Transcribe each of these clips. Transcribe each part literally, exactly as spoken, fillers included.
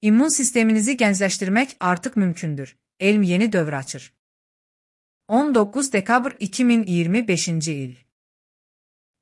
İmmun sisteminizi gəncləşdirmək artıq mümkündür. Elm yeni dövr açır. on doqquz dekabr iki min iyirmi beşinci il.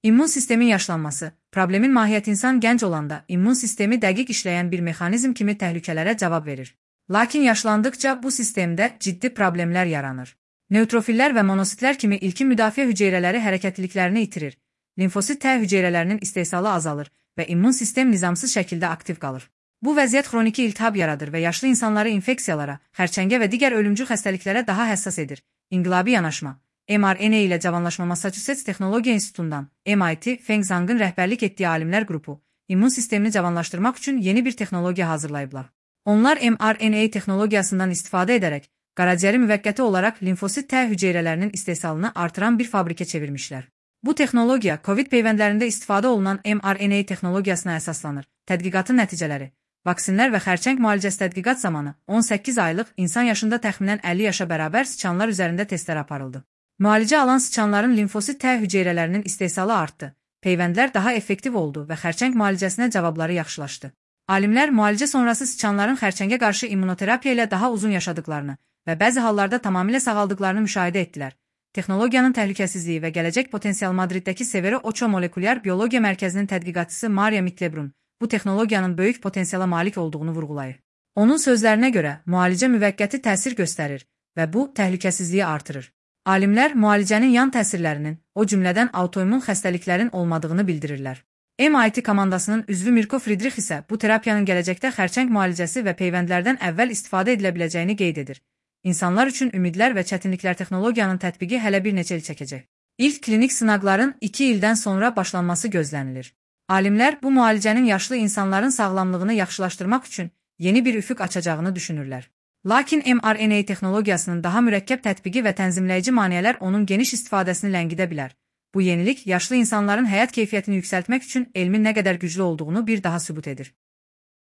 İmmun sistemin yaşlanması. Problemin mahiyyəti insan gənc olanda immun sistemi dəqiq işləyən bir mexanizm kimi təhlükələrə cavab verir. Lakin yaşlandıkca bu sistemdə ciddi problemlər yaranır. Nötrofillər və monositlər kimi ilkin müdafiə hüceyrələri hərəkətliliklərini itirir. Limfosit T hüceyrələrinin istehsalı azalır və immun sistem nizamsız şəkildə aktiv qalır. Bu vəziyyət xroniki iltihab yaradır və yaşlı insanları infeksiyalara, xərçəngə və digər ölümcül xəstəliklərə daha həssas edir. İnqilabi yanaşma. M R N A ilə cavanlaşma Massachusetts Texnologiya İnstitutundan M I T Feng Zhang'ın rəhbərlik etdiyi alimlər qrupu immun sistemini cavanlaşdırmaq üçün yeni bir texnologiya hazırlayıblar. Onlar M R N A texnologiyasından istifadə edərək qaraciyəri müvəqqəti olaraq limfosit T hüceyrələrinin istehsalını artıran bir fabrikə çevirmişlər. Bu texnologiya COVID peyvəndlərində istifadə olunan M R N A texnologiyasına əsaslanır. Tədqiqatın nəticələri. Vaksinlər və xərçəng müalicəsi tədqiqat zamanı on səkkiz aylıq insan yaşında təxminən əlli yaşa bərabər sıçanlar üzərində testlər aparıldı. Müalicə alan sıçanların limfosit T hüceyrələrinin istehsalı artdı. Peyvəndlər daha effektiv oldu və xərçəng müalicəsinə cavabları yaxşılaşdı. Alimlər müalicə sonrası sıçanların xərçəngə qarşı immunoterapiya ilə daha uzun yaşadıklarını və bəzi hallarda tamamilə sağaldıqlarını müşahidə etdilər. Texnologiyanın təhlükəsizliyi və gələcək potensial Madriddəki Severo Ocho Molekulyar Biologiya Mərkəzinin tədqiqatçısı Maria Mitlebrun bu texnologiyanın böyük potensiala malik olduğunu vurğulayır. Onun sözlərinə görə müalicə müvəqqəti təsir göstərir və bu təhlükəsizliyi artırır. Alimlər müalicənin yan təsirlərinin, o cümlədən autoimmun xəstəliklərin olmadığını bildirirlər. M I T komandasının üzvü Mirko Friedrich isə bu terapiyanın gələcəkdə xərçəng müalicəsi və peyvəndlərdən əvvəl istifadə edilə biləcəyini qeyd edir. İnsanlar üçün ümidlər və çətinliklər texnologiyanın tətbiqi hələ bir neçə il çəkəcək. İlk klinik sınaqların iki ildən sonra başlanması gözlənilir. Alimlər bu müalicənin yaşlı insanların sağlamlığını yaxşılaşdırmaq üçün yeni bir üfüq açacağını düşünürlər. Lakin M R N A texnologiyasının daha mürəkkəb tətbiqi və tənzimləyici maneələr onun geniş istifadəsini ləngidə bilər. Bu yenilik yaşlı insanların həyat keyfiyyətini yüksəltmək üçün elmin nə qədər güclü olduğunu bir daha sübut edir.